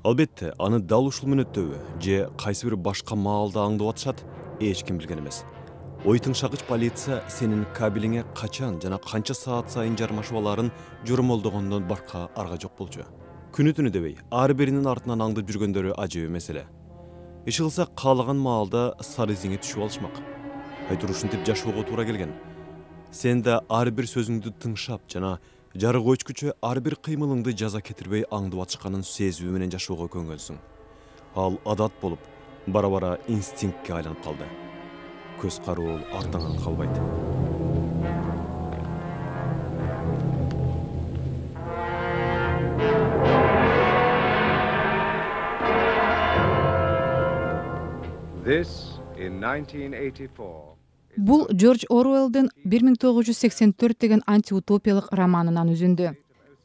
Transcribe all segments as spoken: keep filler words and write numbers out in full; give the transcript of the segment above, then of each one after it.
Албетте, аны дал ушул мүнөттөбү же кайсы бир башка маалда аңдып атышат, эч ким билген эмес. Ой тыңшагыч полиция сенин кабелиңе качан жана канча саат сайын жармашып аларын жормолдогондон башка арга жок болчу. Күнү түнү дебей, ар биринин артынан аңдып жүргөндөрү ажыбы маселе. Иш кылса каалаган маалда сары изиңе түшүп алышмак. Айтыр ушинтип жашоого туура келген. Сен да ар бир сөзүңдү тыңшап жана жарык өчкүчө ар бир кыймылыңды жаза кетирбей аңдып атышканын сезүү менен жашоого көнгөнсүң. Ал адат болуп, бара-бара инстинктке айланып калды. Көз кароо артыңан калбайт. This in nineteen eighty-four. Бул Джордж Оруэллдин бир миң тогуз жүз сексен төрт деген антиутопиялык романынан үзүндү.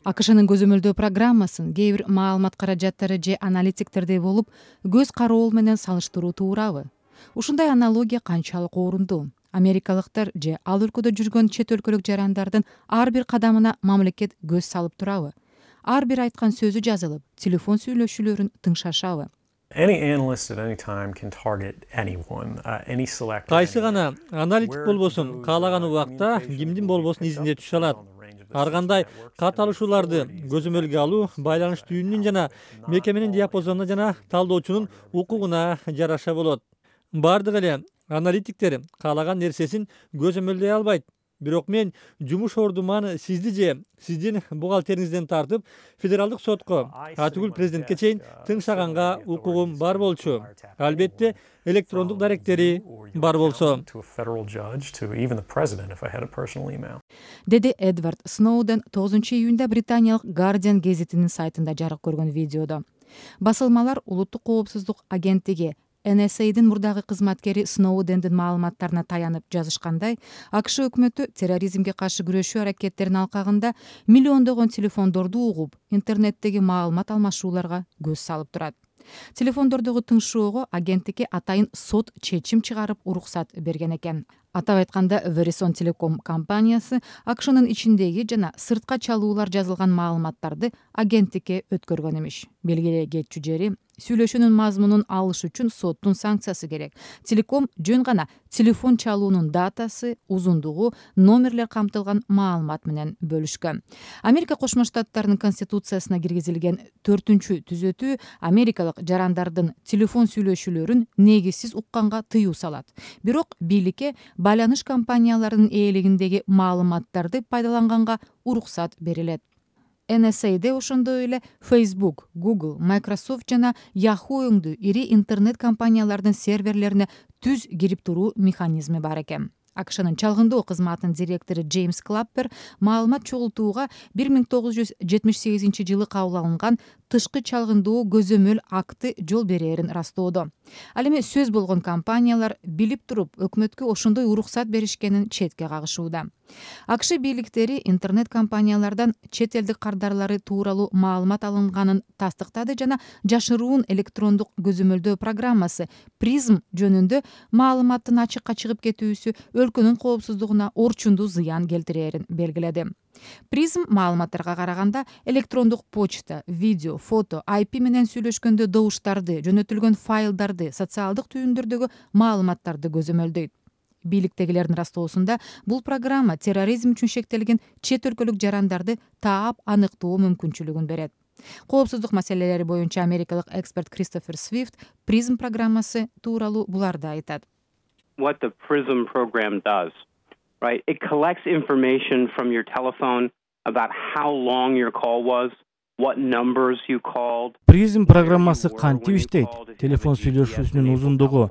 АКШнын көзөмөлдөө программасын кээ бир маалымат каражаттары же аналитиктердей болуп, көз кароол менен салыштыруу туурабы? Ушундай аналогия канчалык орунду? Америкалыктар же ал өлкөдө жүргөн чет өлкөлүк жарандардын ар бир кадамына мамлекет көз салып турабы? Ар бир айткан сөзү жазылып, телефон сүйлөшүүлөрүн тыңшашабы? Any analyst at any time can target anyone, uh, any selector. Кайсы гана аналитик болбосун, каалаган убакта кимдин болбосун изине түшө алат. Ар кандай кат алышууларды көзөмөлгө алуу байланыш түйүнүнүн жана мекеменин диапазонуна жана талдоочунун укугуна жараша болот. Бардык эле аналитиктер каалаган нерсесин көзөмөлдөй албайт. Бирок мен жумуш ордуман сизди же сиздин бухгалтериңизден тартып федералдык сотко, атүгүл президентке чейин тыңшаганга укугум бар болчу. Албетте электрондук даректери бар болсо. Деди Эдвард Сноуден тогузунчу июнда британиялык Guardian гезитинин сайтында жарык көргөн видеодо. Басылмалар улуттук коопсуздук агенттиги Эн Эс Эйдин мурдагы кызматкери Сноудендин маалыматтарына таянып жазышкандай, АКШ өкмөтү терроризмге каршы күрөшүү аракеттеринин алкагында миллиондогон телефондорду угуп, интернеттеги маалымат алмашууларга көз салып турат. Телефондордогу тыңшоого агенттикке атайын сот чечим чыгарып уруксат берген экен. Атап айтканда, Verizon Telecom компаниясы АКШнын ичиндеги жана сыртка чалуулар жазылган маалыматтарды агенттикке өткөргөн эмиш. Белгилүү кетчү жери, сүйлөшүүнүн мазмунун алыш үчүн соттун санкциясы керек. Телеком жөн гана телефон чалуунун датасы, узундугу, номерлер камтылган маалымат менен бөлүшкөн. Америка Кошмо Штаттарынын конституциясына киргизилген төртүнчү түзөтүү америкалык жарандардын телефон сүйлөшүүлөрүн негизсиз укканга тыюу салат. Бирок бийликке байланыш компанияларынын ээлигиндеги маалыматтарды пайдаланганга уруксат берилет. Эн Эс Эйде ошондой эле Facebook, Google, Microsoft жана Yahoo өңдүү ири интернет компаниялардын серверлерине түз кирип туруу механизми бар экен. АКШнын чалгындоо кызматынын директору Джеймс Клаппер маалымат чогултууга бир миң тогуз жүз жетимиш сегизинчи жылы кабыл алынган тышкы чалгындоо көзөмөл акты жол берээрин растоодо. Ал эми сөз болгон компаниялар билип туруп өкмөткө ошондой уруксат беришкенин четке кагышууда. АКШ бийликтери интернет компаниялардан чет элдик кардарлары тууралуу маалымат алынганын тастыктады жана жашыруун электрондук көзөмөлдөө программасы Prism жөнүндө маалыматтын ачыкка чыгып кетүүсү өлкөнүн коопсуздугуна орчундуу зыян келтирээрин белгиледи. Prism маалыматтарга караганда электрондук почта, видео, фото, ай пи менен сүйлөшкөндө добуштарды, жөнөтүлгөн файлдарды, социалдык түйүндөрдөгү маалыматтарды көзөмөлдөйт. Бийликтегилердин растоосунда бул программа терроризм үчүн шектелген чет өлкөлүк жарандарды таап аныктоо мүмкүнчүлүгүн берет. Коопсуздук маселелери боюнча америкалык эксперт Кристофер Свифт Prism программасы тууралуу буларды айтат. What the Prism program does, right? It collects information from your telephone about how long your call was, what numbers you called. Prism программасы кантип иштейт? Телефон сүйлөшүүсүнүн узундугу,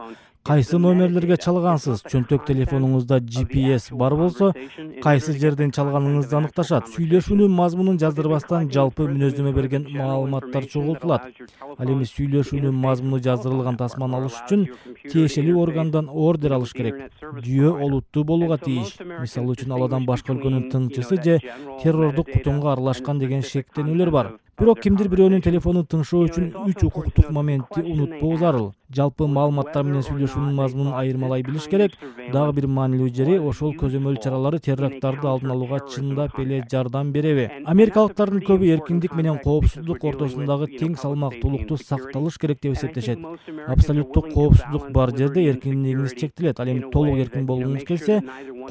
кайсы номерлерге чалгансыз, чөнтөк телефонуңузда Джи Пи Эс бар болсо, кайсы жерден чалганыңызды аныкташат. Сүйлөшүүнүн мазмунун жаздырбастан жалпы мүнөздөмө берген маалыматтар чогултулат. Ал эми сүйлөшүүнүн мазмуну жаздырылган тасманы алыш үчүн тиешелүү органдан ордер алыш керек. Жүйө олуттуу болууга тийиш. Мисалы үчүн ал адам башка өлкөнүн тыңчысы же террордук кутумга аралашкан деген шектенүүлөр бар. Бирок кимдир бирөөнүн телефонун тыңшоо үчүн үч укуктук моментти унутпоо зарыл. Жалпы маалыматтар менен сүйлөшүүнүн мазмунун айырмалай билиш керек. Дагы бир маанилүү жери ошол көзөмөл чаралары теракттарды алдын алууга чындап эле жардам береби? Америкалыктардын көбү эркиндик менен коопсуздук ортосундагы тең салмактуулукту сакталыш керек деп эсептешет. Абсолюттук коопсуздук бар жерде эркиндигиңиз чектелет. Ал эми толук эркин болгуңуз келсе,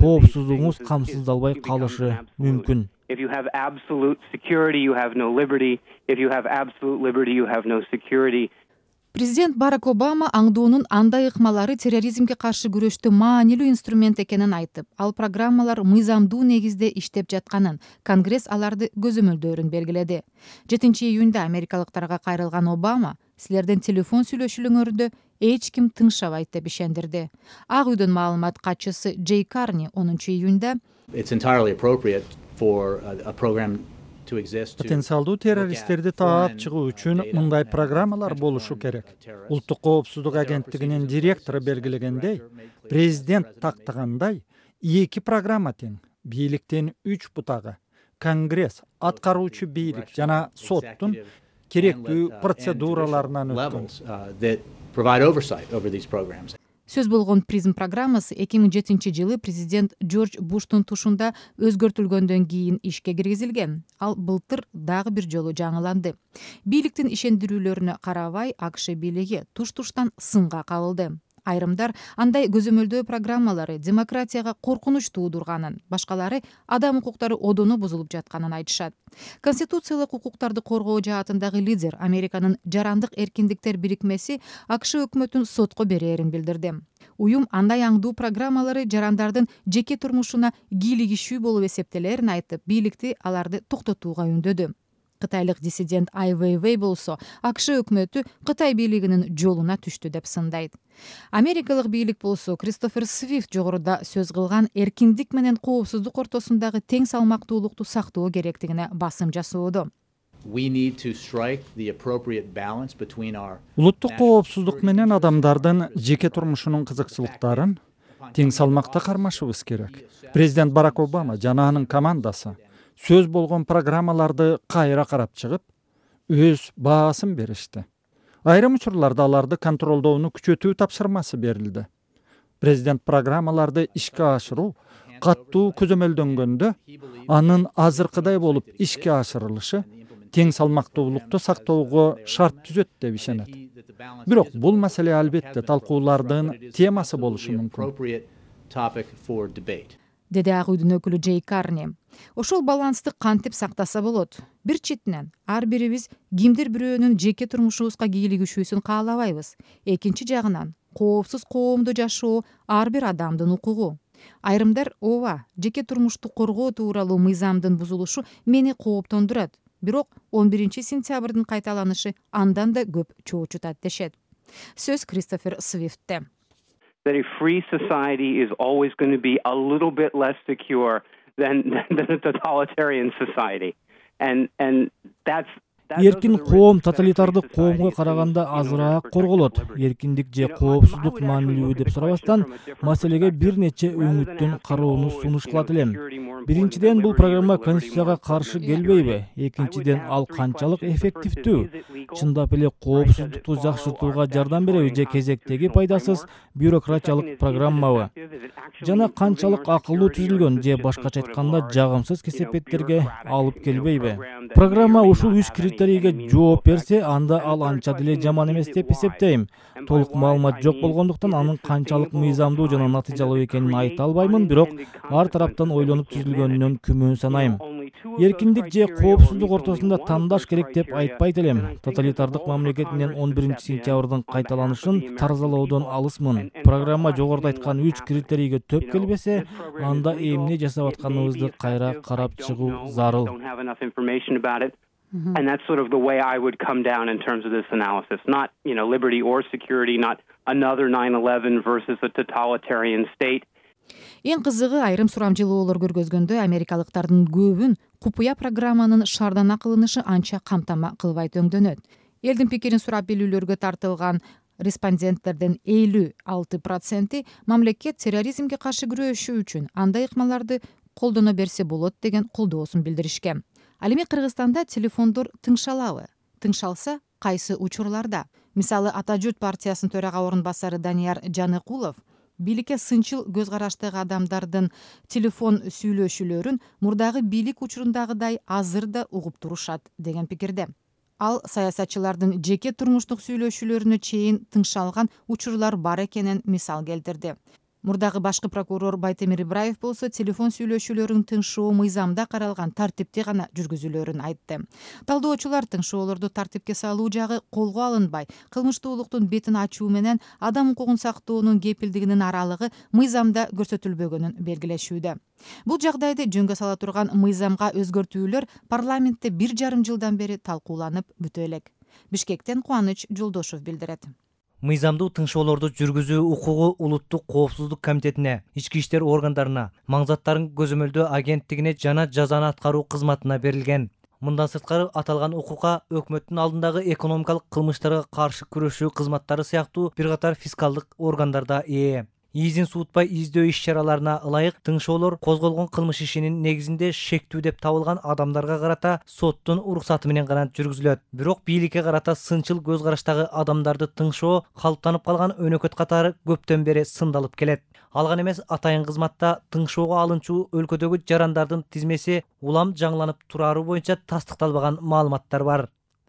коопсуздугуңуз камсыздалбай калышы мүмкүн. If you have absolute security, you have no liberty. If you have absolute liberty, you have no security. Президент Барак Обама аңдуунун андай ыкмалары терроризмге каршы күрөштө маанилүү инструмент экенин айтып, ал программалар мыйзамдуу негизде иштеп жатканын, Конгресс аларды көзөмөлдөөрүн белгиледи. жетинчи июнда америкалыктарга кайрылган Обама силердин телефон сүйлөшүүлөрүңөрдө эч ким тыңшабайт деп ишендирди. Ак үйдүн маалымат катчысы Джей Карни онунчу июнда It's entirely appropriate for a, a program to exist. Потенциалдуу террористтерди таап чыгуу үчүн мындай программалар болушу керек. Улуттук коопсуздук агенттигинин директору белгилегендей, президент тактагандай эки программа тең. Бийликтин үч бутагы, Конгресс, аткаруучу бийлик жана соттун керектүү процедураларынан өткөн. Сөз болгон призм программасы эки миң жетинчи жылы президент Джордж Буштун тушунда өзгөртүлгөндөн кийин ишке киргизилген. Ал былтыр дагы бир жолу жаңыланды. Бийликтин ишендирүүлөрүнө карабай, АКШ бийлиги туш-туштан сынга кабылды. Айрымдар андай көзөмөлдөө программалары демократияга коркунуч туудурганын, башкалары адам укуктары одону бузулуп жатканын айтышат. Конституциялык укуктарды коргоо жаатындагы лидер Американын жарандык эркиндиктер бирикмеси АКШ өкмөтүн сотко берээрин билдирди. Уюм андай аңдуу программалары жарандардын жеке турмушуна кийлигишүү болуп эсептелерин айтып, бийликти аларды токтотууга үндөдү. Кытайлык диссидент Ай Вейвей болсо, АКШ өкмөтү Кытай бийлигинин жолуна түштү деп сындайт. Америкалык бийлик болсо, Кристофер Свифт жогоруда сөз кылган эркиндик менен коопсуздук ортосундагы тең салмактуулукту сактоо керектигине басым жасоодо. Улуттук коопсуздук менен адамдардын жеке турмушунун кызыкчылыктарын тең салмакта кармашыбыз керек. Президент Барак Обама жана анын командасы сөз болгон программаларды кайра карап чыгып, өз баасын беришти. Айрым учурларда аларды контролдоону күчөтүү тапшырмасы берилди. Президент программаларды ишке ашыруу каттуу көзөмөлдөнгөндө, анын азыркыдай болуп ишке ашырылышы тең салмактуулукту сактоого шарт түзөт деп ишенет. Бирок бул маселе албетте талкуулардын темасы болушу мүмкүн. Деди Ак үйдүн өкүлү Джей Карни. Ошол балансты кантип сактаса болот? Бир четинен, ар бирибиз кимдир бирөөнүн жеке турмушубузга кийлигишүүсүн каалабайбыз. Экинчи жагынан, коопсуз коомдо жашоо ар бир адамдын укугу. Айрымдар ооба, жеке турмушту коргоо тууралуу мыйзамдын бузулушу мени кооптондурат. Бирок он биринчи сентябрдын кайталанышы андан да көп чоочутат дешет. Сөз Кристофер Свифтте. That a free society is always going to be a little bit less secure than, than a totalitarian society. And, and that's Эркин коом тоталитардык коомго караганда азыраак корголот. Эркиндик же коопсуздук маанилүү деп сурабастан, маселеге бир нече өңүттөн кароону сунуш кылат элем. Биринчиден, бул программа конституцияга каршы келбейби? Экинчиден, ал канчалык эффективдүү? Чындап эле коопсуздукту жакшыртууга жардам береби же кезектеги пайдасыз бюрократиялык программабы? Жана канчалык акылдуу түзүлгөн же башкача айтканда жагымсыз кесепеттерге алып келбейби? Программа ушул үч критерийге жооп берсе, анда ал анча деле жаман эмес деп эсептейм. Толук маалымат жок болгондуктан анын канчалык мыйзамдуу жана натыйжалуу экенин айта албаймын, бирок ар тараптан ойлонуп түзүлгөнүнөн күмөн санайм. Эркиндик же коопсуздук ортосунда тандаш керек деп айтпайт элем. Тоталитардык мамлекет менен он биринчи сентябрдын кайталанышын таразалоодон алысмын. Программа жогоруда айткан үч критерийге төп келбесе, анда эмне жасап атканыбызды кайра карап чыгуу зарыл. And that's sort of the way I would come down in terms of this analysis. Not, you know, liberty or security, not another nine eleven versus a totalitarian state. Эң кызыгы, айрым сурамжылоолор көргөзгөндө америкалыктардын көбүн купуя программанын шардана кылынышы анча камтама кылбайт өңдөнөт. Элдин пикирин сурап билүүлөргө тартылган респонденттердин элүү алты проценти мамлекет терроризмге каршы күрөшүү үчүн андай ыкмаларды колдоно берсе болот деген колдоосун билдиришкен. Ал эми Кыргызстанда телефондор тыңшалабы? Тыңшалса, кайсы учурларда? Мисалы, Ата журт партиясынын төрага орун басары Данияр Жаныкулов бийликке сынчыл көз караштагы адамдардын телефон сүйлөшүүлөрүн мурдагы бийлик учурундагыдай азыр да угуп турушат деген пикирде. Ал саясатчылардын жеке турмуштук сүйлөшүүлөрүнө чейин тыңшалган учурлар бар экенин мисал келтирди. Мурдагы башкы прокурор Байтемир Ибраев болсо телефон сүйлөшүүлөрүн тыңшоо мыйзамда каралган тартипте гана жүргүзүлөөрүн айтты. Талдоочулар тыңшоолорду тартипке салуу жагы колго алынбай, кылмыштуулуктун бетин ачуу менен адам укугун сактоонун кепилдигинин аралыгы мыйзамда көрсөтүлбөгөнүн белгилешүүдө. Бул жагдайды жөнгө сала турган мыйзамга өзгөртүүлөр парламентте бир жарым жылдан бери талкууланып бүтө элек. Бишкектен Кубаныч Жолдошов билдирет. Мыйзамдуу тыңшоолорду жүргүзүү укугу Улуттук коопсуздук комитетине, ички иштер органдарына, маңзаттарын көзөмөлдөө агенттигине жана жазаны аткаруу кызматына берилген. Мындан сырткары аталган укукка өкмөттүн алдындагы экономикалык кылмыштарга каршы күрөшүү кызматтары сыяктуу бир катар фискалдык органдар да ээ. Изин суутпай издөө иш-чараларына ылайык тыңшоолор козголгон кылмыш ишинин негизинде шектүү деп табылган адамдарга карата соттун уруксаты менен гана жүргүзүлөт. Бирок бийликке карата сынчыл көз караштагы адамдарды тыңшоо калыптанып калган өнөкөт катары көптөн бери сындалып келет. Алган эмес атайын кызматта тыңшоого алынчу өлкөдөгү жарандардын тизмеси улам жаңыланып турары боюнча тастыкталбаган маалыматтар бар.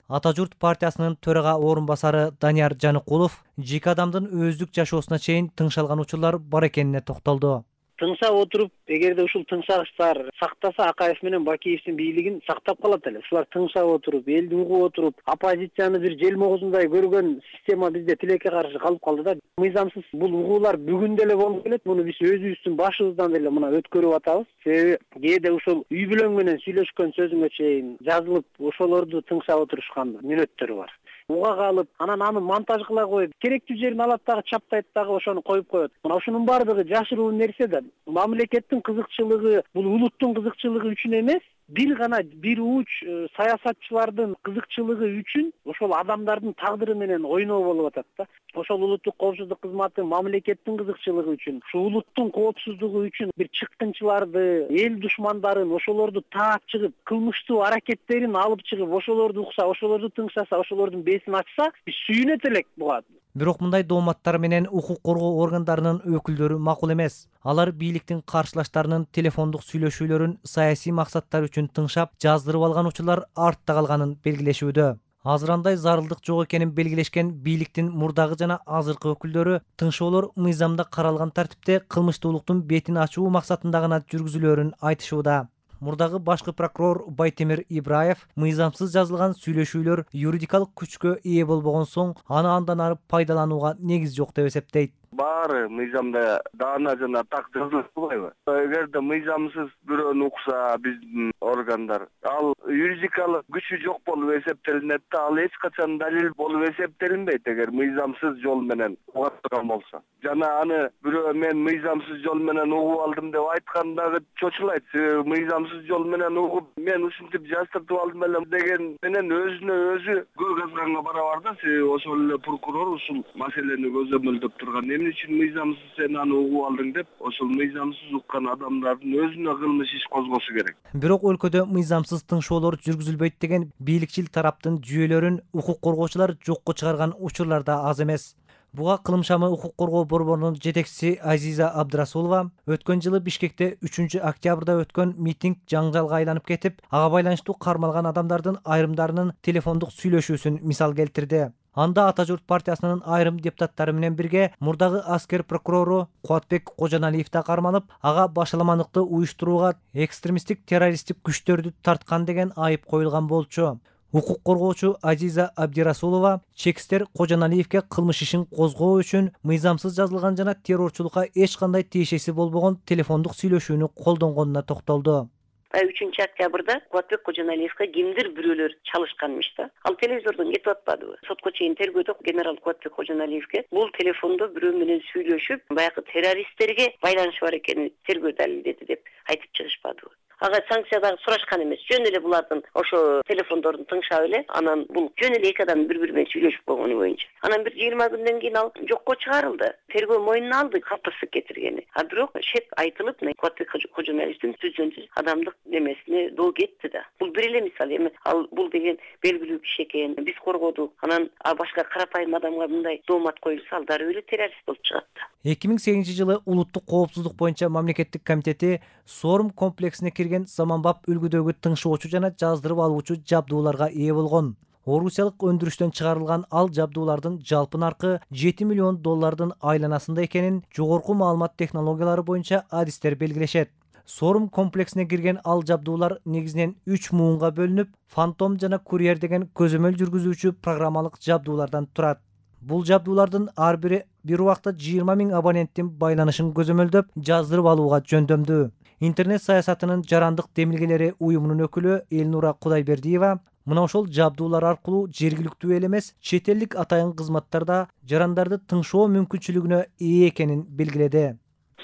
Ата журт партиясынын төрага орун басары Данияр Жаныкулов жеке адамдын өздүк жашоосуна чейин тыңшалган учурлар бар экенине токтолду. Тыңсап отуруп, эгерде ушул тыңсагычтар сактаса, Акаев менен Бакиевдин бийлигин сактап калат эле. Ушулар тыңсап отуруп, элди угуп отуруп, оппозицияны бир желмоозундай көргөн система бизде тилекке каршы калып калды да. Мыйзамсыз бул угуулар бүгүн деле болуп келет. Муну биз өзүбүздүн башыбыздан деле мына өткөрүп атабыз. Себеби кээде ушул үй бүлөң менен сүйлөшкөн сөзүңө чейин жазылып, ошолорду тыңсап отурушкан мүнөттөр бар. Уга калып, анан аны монтаж кыла коюп, керектүү жерин алат дагы чаптайт дагы ошону коюп коет. Мына ушунун баардыгы жашыруу нерсе да. Мамлекеттин кызыкчылыгы, бул улуттун кызыкчылыгы үчүн эмес, бир гана бир уч саясатчылардын кызыкчылыгы үчүн ошол адамдардын тагдыры менен ойноо болуп атат да. Ошол улуттук коопсуздук кызматы мамлекеттин кызыкчылыгы үчүн, ушу улуттун коопсуздугу үчүн бир чыккынчыларды, эл душмандарын, ошолорду таап чыгып, кылмыштуу аракеттерин алып чыгып, ошолорду укса, ошолорду тыңшаса, ошолордун бесин ачса, биз сүйүнөт элек буга. Бирок мындай дооматтар менен укук коргоо органдарынын өкүлдөрү макул эмес. Алар бийликтин каршылаштарынын телефондук сүйлөшүүлөрүн саясий максаттар үчүн тыңшап, жаздырып алган учурлар артта калганын белгилешүүдө. Азыр андай зарылдык жок экенин белгилешкен бийликтин мурдагы жана азыркы өкүлдөрү тыңшоолор мыйзамда каралган тартипте кылмыштуулуктун бетин ачуу максатында гана жүргүзүлөөрүн айтышууда. Мурдагы башкы прокурор Байтемир Ибраев мыйзамсыз жазылган сүйлөшүүлөр юридикалык күчкө ээ болбогон соң аны андан ары пайдаланууга негиз жок деп эсептейт. Баары мыйзамда даана жана так жазылып турбайбы? Эгерде мыйзамсыз бирөөнү укса биздин органдар, ал юридикалык күчү жок болуп эсептелинет да, ал эч качан далил болуп эсептелинбейт эгер мыйзамсыз жол менен уга турган болсо. Жана аны бирөө мен мыйзамсыз жол менен угуп алдым деп айткан дагы чочулайт. Мыйзамсыз жол менен угуп, мен ушинтип жаздыртып алдым эле деген менен өзүнө өзү көз казганга барабар да. Ошол эле прокурор ушул маселени көзөмөлдөп турган. Эмне үчүн мыйзамсыз сен аны угуп алдың деп, ошол мыйзамсыз уккан адамдардын өзүнө кылмыш иш козгосо керек. Бирок өлкөдө мыйзамсыз тыңшоолор жүргүзүлбөйт деген бийликчил тараптын жүйөлөрүн укук коргоочулар жокко чыгарган учурлар да аз эмес. Буга кылымшамы укук коргоо борборунун жетекчиси Азиза Абдрасулова өткөн жылы Бишкекте үчүнчү октябрда өткөн митинг жаңжалга айланып кетип, ага байланыштуу кармалган адамдардын айрымдарынын телефондук сүйлөшүүсүн мисал келтирди. Анда Ата журт партиясынын айрым депутаттары менен бирге мурдагы аскер прокурору Кубатбек Кожоналиев да кармалып, ага башаламандыкты уюштурууга экстремисттик террористтик күчтөрдү тарткан деген айып коюлган болчу. Укук коргоочу Азиза Абдрасулова чекистер Кожоналиевке кылмыш ишин козгоо үчүн мыйзамсыз жазылган жана террорчулукка эч кандай тиешеси болбогон телефондук сүйлөшүүнү колдонгонуна токтолду. үчүнчү октябрда Кубатбек Кожоналиевге кимдир бирөөлөр чалышканмыш да. Ал телевизордон кетип атпадыбы? Сотко чейин тергөөдө генерал Кубатбек Кожоналиевге бул телефондо бирөө менен сүйлөшүп, баягы террористтерге байланышы бар экенин тергөө далилдеди деп айтып чыгышпадыбы? ага санкция дагы сурашкан эмес. Жөн эле булардын ошо телефондорун тыңшап эле, анан бул жөн эле эки адам бири бири менен сүйлөшүп койгону боюнча. Анан бир жыйырма күндөн кийин ал жокко чыгарылды. Тергөө мойнуна алды калтырсыз кетиргени. А бирок шеп айтылып, Кубатбек Кожоналиевдин түзөнсүз адамдык немесине доо кетти да. Бул бир эле мисал эми. Ал бул деген белгилүү киши экен. Биз коргодук. Анан башка карапайым адамга мындай доомат коюлса, ал дароо эле террорист болуп чыгат да. эки миң сегизинчи жылы улуттук коопсуздук боюнча мамлекеттик комитети Сорум комплексине кирген заманбап үлгүдөгү тыңшоочу жана жаздырып алуучу жабдууларга ээ болгон. Орусиялык өндүрүштөн чыгарылган ал жабдуулардын жалпы наркы жети миллион доллардын айланасында экенин жогорку маалымат технологиялары боюнча адистер белгилешет. Сорум комплексине кирген ал жабдуулар негизинен үч муунга бөлүнүп, Фантом жана Курьер деген көзөмөл жүргүзүүчү программалык жабдуулардан турат. Бул жабдуулардын ар бири бир убакта жыйырма миң абоненттин байланышын көзөмөлдөп, жаздырып алууга жөндөмдүү. Интернет саясатынын жарандык демилгелери уюмунун өкүлү Элнура Кудайбердиева мына ошол жабдуулар аркылуу жергиликтүү эл эмес, чет элдик атайын кызматтарда жарандарды тыңшоо мүмкүнчүлүгүнө ээ экенин белгиледи.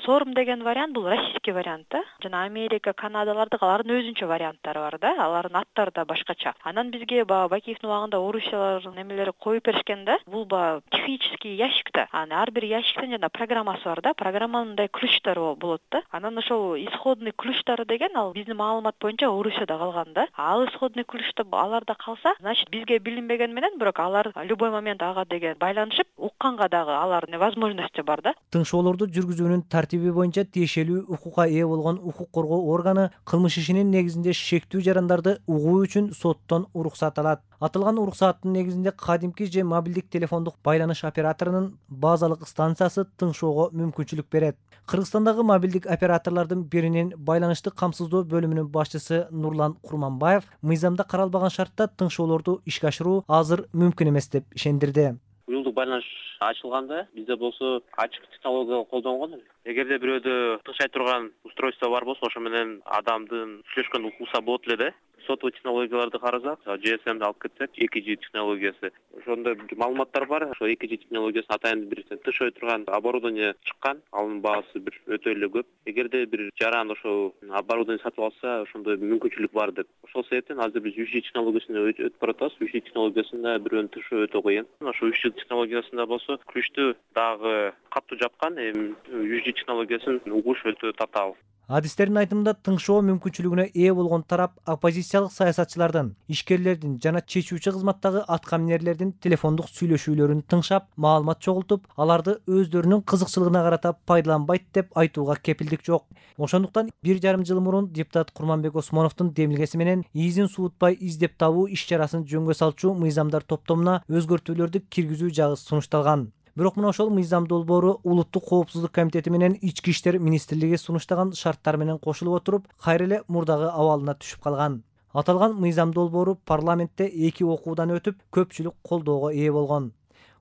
Сорум деген вариант бул российский вариант да. Жана Америка, Канадалардык алардын өзүнчө варианттары бар да. Алардын аттары да башкача. Анан бизге баягы Бакиевдин убагында орусиялардын немелери коюп беришкен да. Бул баягы технический ящик да. Анан ар бир ящиктин жана программасы бар да. Программанын мындай ключтары болот да. Анан ошол исходный ключтары деген ал биздин маалымат боюнча Орусияда калган да. Ал исходный ключта аларда калса, значит бизге билинбеген менен, бирок алар любой момент ага деген байланышып, укканга дагы алардын возможности бар да. Тыңшоолорду жүргүзүүнүн тартиби боюнча тиешелүү укукка ээ болгон укук коргоо органы кылмыш ишинин негизинде шектүү жарандарды угуу үчүн соттон уруксат алат. Атылган уруксаттын негизинде кадимки же мобилдик телефондук байланыш операторунун базалык станциясы тыңшоого мүмкүнчүлүк берет. Кыргызстандагы мобилдик операторлордун биринин байланышты камсыздоо бөлүмүнүн башчысы Нурлан Курманбаев мыйзамда каралбаган шартта тыңшоолорду ишке ашыруу азыр мүмкүн эмес деп ишендирди. Уюлдук байланыш ачылганда бизде болсо ачык технология колдонгон. Эгерде бирөөдө тыңшай турган устройство бар болсо, ошо менен адамдын сүйлөшкөнүн укса болот эле да. Сотовый технологияларды карасак, джи эс эмди алып кетсек, эки джи технологиясы. Ошондо маалыматтар бар. Ошо эки джи технологиясын атайын бир тышой турган оборудование чыккан. Анын баасы бир өтө эле көп. Эгерде бир жаран ошо оборудование сатып алса, ошондой мүмкүнчүлүк бар деп. Ошол себептен азыр биз үч джи технологиясына өтүп баратабыз. үч джи технологиясында бирөөнүн тышоо өтө кыйын. Ошо үч джи технологиясында болсо ключтү дагы катуу жапкан, эми үч джи технологиясын угуш өтө татаал. Адистердин айтымында тыңшоо мүмкүнчүлүгүнө ээ болгон тарап оппозициялык саясатчылардын, ишкерлердин жана чечүүчү кызматтагы аткаминерлердин телефондук сүйлөшүүлөрүн тыңшап, маалымат чогултуп, аларды өздөрүнүн кызыкчылыгына карата пайдаланбайт деп айтууга кепилдик жок. Ошондуктан бир жарым жыл мурун депутат Курманбек Осмоновдун демилгеси менен изин суутпай издеп табуу иш-чарасын жөнгө салчу мыйзамдар топтомуна өзгөртүүлөрдү киргизүү жагы сунушталган. Бирок мына ошол мыйзам долбоору Улуттук коопсуздук комитети менен Ички иштер министрлиги сунуштаган шарттар менен кошулуп отуруп, кайра эле мурдагы абалына түшүп калган. Аталган мыйзам долбоору парламентте эки окуудан өтүп, көпчүлүк колдоого ээ болгон.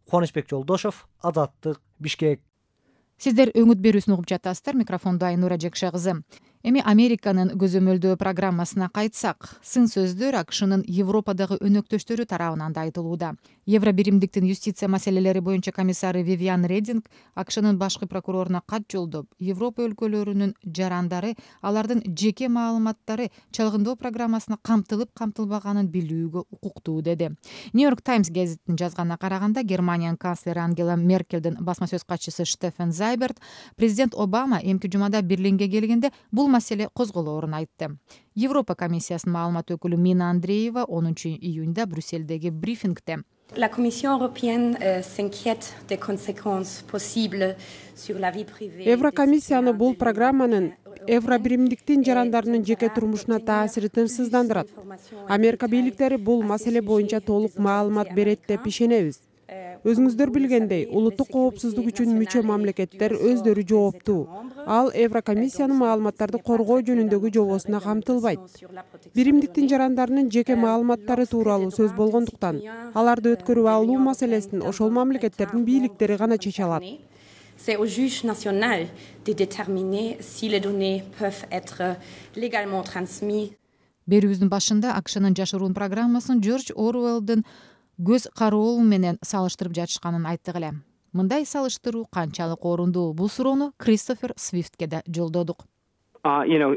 Кубанычбек Жолдошов, Азаттык, Бишкек. Сиздер өңүт берүүсүн угуп жатасыздар. Микрофондо Айнура Жекше кызы. Эми Американын көзөмөлдөө программасына кайтсак, сын сөздөр АКШнын Европадагы өнөктөштөрү тарабынан да айтылууда. Евробиримдиктин юстиция маселелери боюнча комиссары Вивиан Рединг АКШнын башкы прокуроруна кат жолдоп, Европа өлкөлөрүнүн жарандары алардын жеке маалыматтары чалгындоо программасына камтылып камтылбаганын билүүгө укуктуу деди. Нью-Йорк Таймс гезитинин жазганына караганда, Германиянын канцлери Ангела Меркелдин басма сөз катчысы Штефен Зайберт президент Обама эмки жумада Берлинге келгенде бул маселе козголоорун айтты. Европа комиссиясынын маалымат өкүлү Мина Андреева онунчу июнда Брюссельдеги брифингде La Commission européenne euh, s'inquiète des conséquences possibles sur la vie privée. Еврокомиссияны бул программанын Евробиримдиктин жарандарынын жеке турмушуна таасири тынчсыздандырат. Америка бийликтери бул маселе боюнча толук маалымат берет деп ишенебиз. Өзүңүздөр билгендей, улуттук коопсуздук үчүн мүчө мамлекеттер өздөрү жооптуу. Ал Еврокомиссиянын маалыматтарды коргоо жөнүндөгү жобосуна камтылбайт. Биримдиктин жарандарынын жеке маалыматтары тууралуу сөз болгондуктан, аларды өткөрүп алуу маселесин ошол мамлекеттердин бийликтери гана чече алат. C'est au juge national de déterminer si les données peuvent être légalement transmises. Берүүбүздүн башында АКШнын жашыруун программасын Джордж Оруэллдын көз кароол менен салыштырып жатышканын айттык эле. Мындай салыштыруу канчалык орундуу? Бул суроону Кристофер Свифтке да жолдодук. Uh, you know,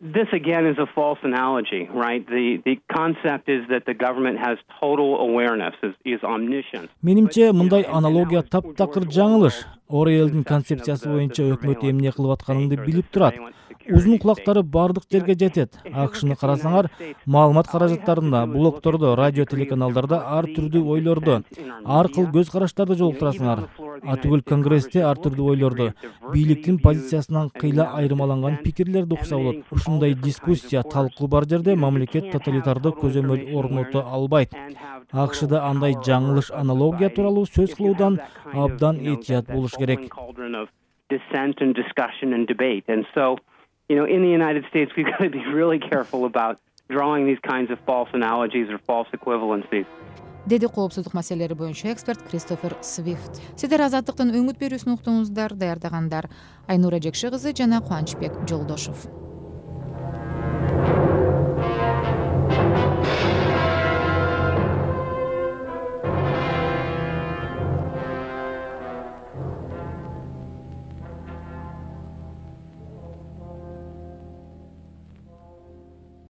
This again is a false analogy, right? The the concept is that the government has total awareness, is, is omniscient. Менимче мындай аналогия таптакыр жаңылыш. Орелдин концепциясы боюнча өкмөт эмне кылып атканыңды билип турат. Узун кулактары бардык жерге жетет. АКШны карасаңар, маалымат каражаттарында, блогтордо, радио телеканалдарда ар түрдүү ойлорду, ар кыл көз караштарды жолуктурасыңар. Атүгүл Конгрессте ар түрдүү ойлорду, бийликтин позициясынан кыйла айырмаланган пикирлерди укса болот. Ушундай дискуссия, талкуу бар жерде мамлекет тоталитардык көзөмөл орното албайт. АКШда андай жаңылыш аналогия тууралуу сөз кылуудан абдан этият болуш керек. Dissent and discussion and debate. And so, you know, in the United States, we've got to be really careful about drawing these kinds of false analogies or false equivalencies. Деди коопсуздук маселелери боюнча эксперт Кристофер Свифт. Сиздер Азаттыктын өңүт берүүсүн уктуңуздар, даярдагандар Айнура Жекши кызы жана Кубанычбек Жолдошов.